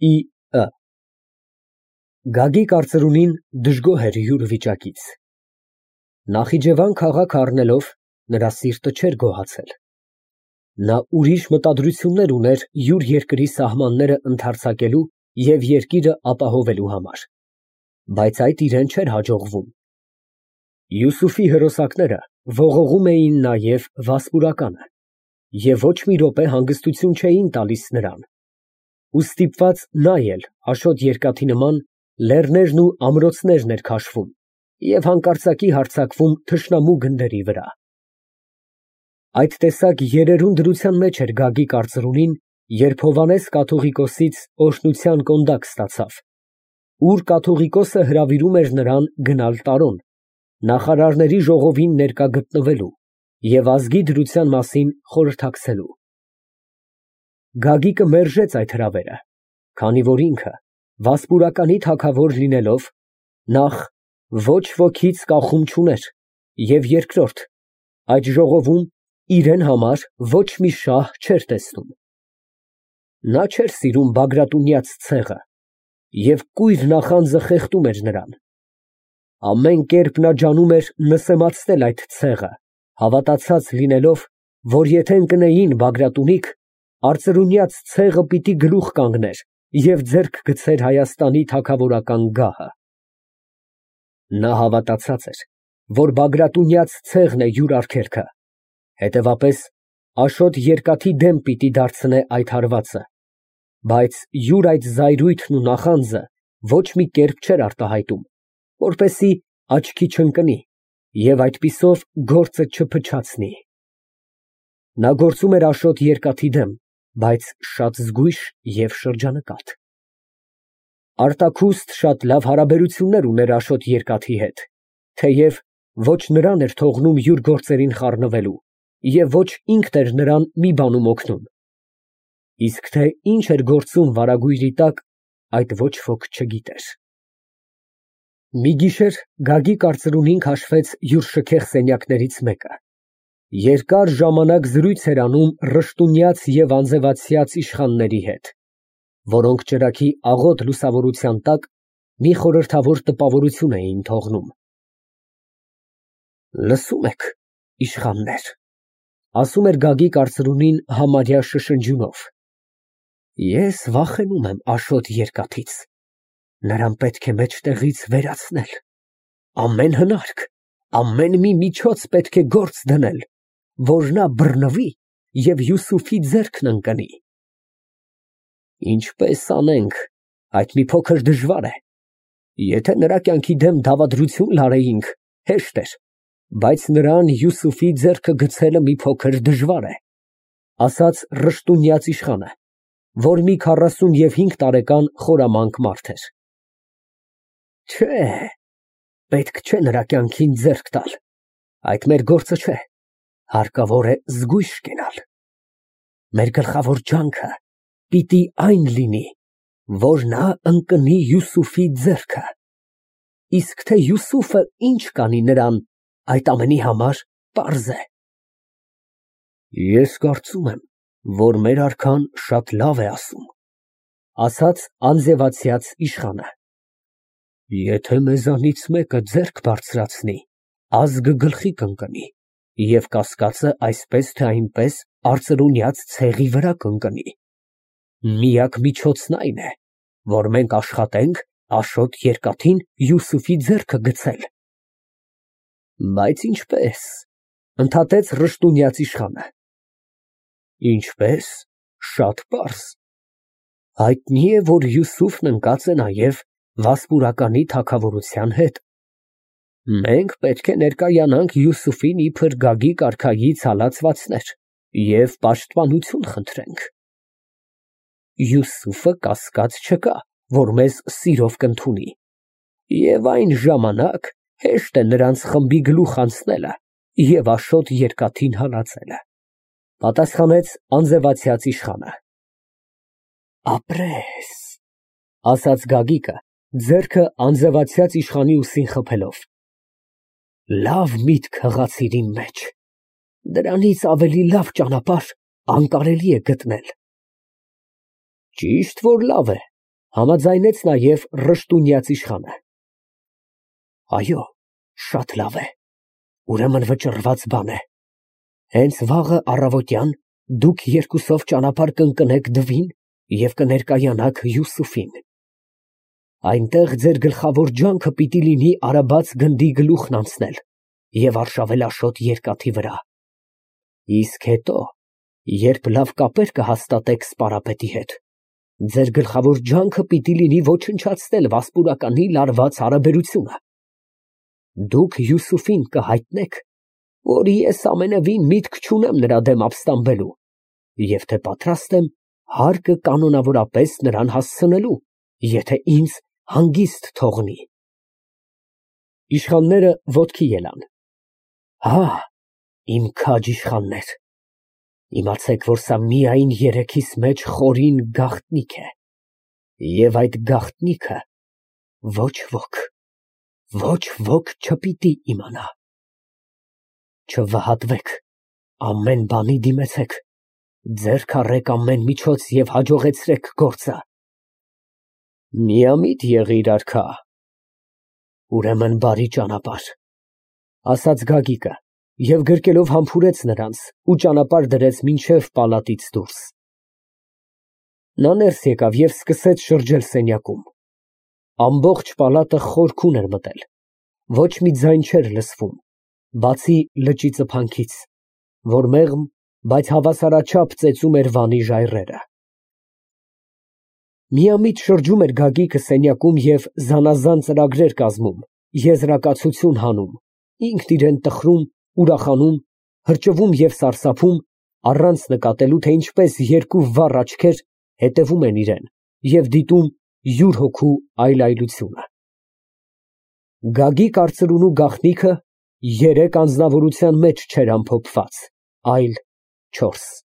Ի.Ը. Գագիկ արծրունին դժգոհ էր յուր վիճակից։ Նախիջևան քաղաք առնելով, նրա սիրտը չէր գոհացել։ Նա ուրիշ մտադրություններ ուներ յուր երկրի սահմանները ընդարձակելու և երկիրը ապահովելու համար, բայց այդ իրան չէր հաջողվում։ Յուսուֆի հրոսակները ողողում էին նաև Վասպուրականը և ոչ մի րոպե հանգստություն չէին տալիս նրան, ու ստիպված նա էլ Աշոտ Երկաթի նման լեռներն ու ամրոցներն էր քաշվում և հանկարծակի հարձակվում թշնամու գնդերի վրա։ Այդ տեսակ երերուն դրության մեջ էր Գագիկ արծրունին, երբ Հովհաննես կաթողիկոսից օրհնության կոնդակ ստացավ, ուր կաթողիկոսը հրավիրում էր նրան գնալ Տարոն, նախարարների ժողովին ներկա գտնվելու և ազգի դրության մասին խորհրդակցելու։ Գագիկը մերժեց այդ հրավերը, քանի որ ինքը, Վասպուրականի թագավոր լինելով, նախ ոչ ոքից կախում չուներ և երկրորդ, այդ ժողովում իրան համար ոչ մի շահ չէր տեսնում։ Նա չէր սիրում Բագրատունյաց ցեղը և կույր նախանձը խեղդում էր նրան։ Ամեն կերպ նա ջանում էր նսեմացնել այդ ցեղը, հավատացած լինելով, որ եթե ընկնեին Բագրատունիք, արծրունյաց ցեղը պիտի գլուխ կանգներ և ձեռք գցեր Հայաստանի թագավորական գահը։ Նա հավատացած էր, որ Բագրատունյաց ցեղն է յուր արգելքը, հետևապես Աշոտ Երկաթի դեմ պիտի դարձնե այդ հարվածը, բայց յուր այդ զայրույթն ու նախանձը ոչ մի կերպ չէր արտահայտում, որպեսզի աչքի չընկնի և այդպիսով գործը չփչացնի։ Նա գործում էր Աշոտ Երկաթի դեմ, բայց շատ զգույշ և շրջանկատ։ Արտաքուստ շատ լավ հարաբերություններ ուներ Աշոտ Երկաթի հետ, թեև ոչ նրան էր թողնում յուր գործերին խառնվելու և ոչ ինքն էր նրան մի բանում օգնում, իսկ թե ինչ էր գործում վարագույրի տակ, այդ ոչ ոք չգիտեր։ Մի գիշեր Գագիկ արծրունին քաշվեց յուր շքեղ սենյակներից մեկը, երկար ժամանակ զրույց էր անում Ռշտունյաց և Անձևացյաց իշխանների հետ, որոնք ճրագի աղոտ լուսավորության տակ մի խորհրդավոր տպավորություն էին թողնում։ Լսո՞ւմ եք, իշխաններ, ասում էր Գագիկ արծրունին համարյա շշնջյունով, ես վախենում եմ Աշոտ Երկաթից, նրան պետք է մեջտեղից վերացնել, ամեն հնարք, ամեն մի միջոց պետք է գործ դնել, որ նա բռնվի և Յուսուֆի ձեռքն ընկնի։ Ինչպես անենք, այդ մի փոքր դժվար է, եթե նրա կյանքի դեմ դավադրություն լարեինք, հեշտ էր, բայց նրան Յուսուֆի ձեռքը գցելը մի փոքր դժվար է, ասաց Ռշտունյաց իշխանը, որ մի 45 տարեկան խորամանկ մարդ էր։ Չէ, պետք չէ նրա կյանքին ձեռք տալ, այդ մեր գործը չէ, հարկավոր է զգույշ կենալ։ Մեր գլխավոր ջանքը պիտի այն լինի, որ նա ընկնի Յուսուֆի ձեռքը, իսկ թե Յուսուֆը ինչ կանի նրան, այդ ամենի համար պարզ է։ Ես կարծում եմ, որ մեր արքան շատ լավ է ասում, ասաց Անձևացյաց իշխանը։ Եթե մեզանից մեկը ձեռք բարձրացնի, ազգը գլխի կընկնի և կասկածը այսպես թե այնպես արծրունյաց ցեղի վրա կընկնի։ Միակ միջոցն այն է, որ մենք աշխատենք Աշոտ Երկաթին Յուսուֆի ձեռքը գցել։ Բայց ինչպե՞ս, ընդհատեց Ռշտունյաց իշխանը։ Ինչպե՞ս, շատ պարզ, հայտնի է, որ Յուսուֆն ընկած է նաև Վասպուրականի թագավորության հետ։ Մենք պետք է ներկայանանք Յուսուֆին իբր Գագիկ արքայից հալածվածներ և պաշտպանություն խնդրենք։ Յուսուֆը կասկած չկա, որ մեզ սիրով կընդունի, և այն ժամանակ հեշտ է նրանց խմբի գլուխ անցնելը և Աշոտ Երկաթին հալածելը, պատասխանեց Անձևացյաց իշխանը։ Ապրես, ասաց Գագիկը, ձեռքը Անձևացյաց իշխանի ուսին խփելով, լավ միտք հղացիր իմ մեջ, դրանից ավելի լավ ճանապարհ անկարելի է գտնել։ Ճիշտ որ լավ է, Համաձայնեց նաև Ռշտունյաց իշխանը։ Այո, շատ լավ է, ուրեմն վճռված բան է։ Հենց վաղը առավոտյան դուք երկուսով ճանապարհ կընկնեք Դվին և կներկայանաք Յուսուֆին։ Այնտեղ ձեր գլխավոր ջանքը պիտի լինի արաբաց գնդի գլուխն անցնել և արշավել Աշոտ երկաթի վրա։ Իսկ հետո, երբ լավ կապեր կհաստատեք սպարապետի հետ, ձեր գլխավոր ջանքը պիտի լինի ոչնչացնել Վասպուրականի լարված հարաբերությունը։ Դուք Յուսուֆին կհայտնեք, որ ես ամենևին միտք չունեմ նրա դեմ ապստամբելու և թե պատրաստ եմ հարկը կանոնավորապես նրան հասցնելու, եթե ինձ հանգիստ թողնի։ Իշխանները ոտքի ելան։ Հա, իմ քաջ իշխաններ, իմացեք, որ սա միայն երեքիս մեջ խորին գաղտնիք է, և այդ գաղտնիքը ոչ ոք չպիտի իմանա։ Չվհատվեք, ամեն բանի դիմեցեք, ձեռք առեք ամեն միջոց և հաջողեցրեք գործը։ Միամիտ եղիր, արքա։ Ուրեմն բարի ճանապարհ, ասաց Գագիկը և գրկելով համբուրեց նրանց ու ճանապարհ դրեց մինչև պալատից դուրս։ Նա ներս եկավ և սկսեց շրջել սենյակում։ Ամբողջ պալատը խորքուն էր մտել, ոչ մի ձայն չէր լսվում, բացի լճի ծփանքից, որ մեղմ, բայց հավասարաչափ ծեծում էր վանի ժայռերը։ Միամիտ շրջում էր Գագիկը սենյակում և զանազան ծրագրեր կազմում, եզրակացություն հանում, ինքն իրան տխրում, ուրախանում, հրճվում և սարսափում, առանց նկատելու, թե ինչպես երկու վառ աչքեր հետևում են իրան և դիտում յուր հոգու այլայլությունը։ Գագիկ արծրունու գաղտնիքը երեք անձնավորության մեջ չէր ամփոփված, այլ չորս։